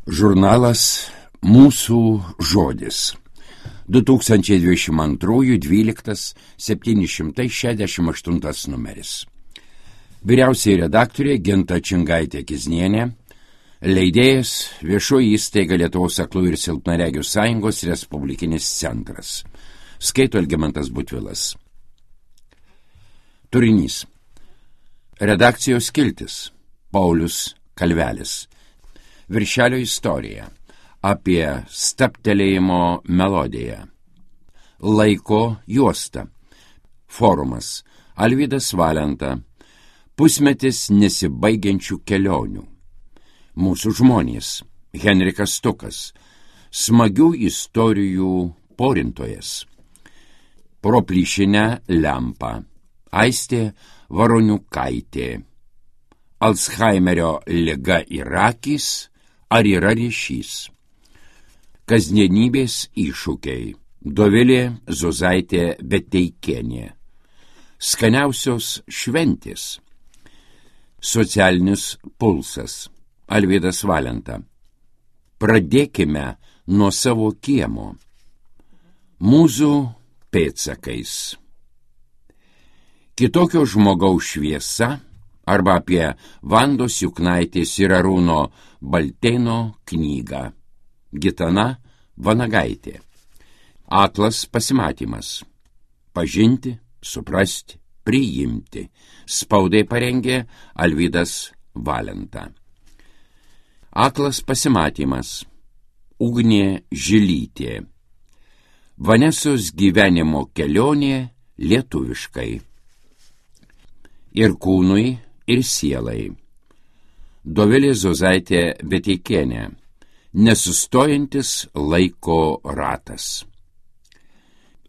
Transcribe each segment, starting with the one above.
Žurnalas Mūsų žodis. 2022-12-768 numeris. Vyriausiai redaktorė Ginta Čingaitė-Kiznienė, leidėjas Viešoji įstaiga Lietuvos aklųjų ir silpnaregių sąjungos Respublikinis centras. Skaito Algimantas Butvilas. Turinys. Redakcijos skiltis. Paulius Kalvelis. Viršelio istorija. Apie stabtelėjimo melodiją. Laiko juosta. Forumas. Alvydas Valenta. Pusmetis nesibaigiančių kelionių. Mūsų žmonės. Henrikas Stukas. Smagių istorijų porintojas. Pro plyšinę lempą. Aistė Varoniukaitė. Alzheimerio liga ir akys. Ar yra ryšys? Kasdienybės iššūkiai. Dovilė Zuzaitė Beteikienė. Skaniausios šventės. Socialinis pulsas. Alvydas Valenta. Pradėkime nuo savo kiemo. Mūzų pėdsakais. Kitokio žmogaus šviesa arba apie Vandos Juknaitės ir Arūno Baltėno knygą. Gitana Vanagaitė. Aklas pasimatymas. Pažinti, suprasti, priimti. Spaudai parengė Alvydas Valenta. Aklas pasimatymas. Ugnė Žilytė. Vanesos gyvenimo kelionė lietuviškai. Ir kūnui, ir sielai. Dovilė Zuzaitė Beteikienė. Nesustojantis laiko ratas.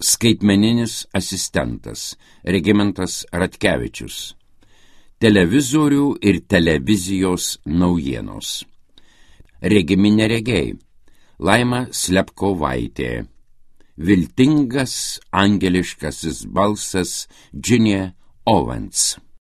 Skaitmeninis asistentas Regimantas Ratkevičius. Televizorių ir televizijos naujienos. Regimi neregiai. Laima Slepkovaitė. Viltingas angeliškasis balsas Džinė Owens.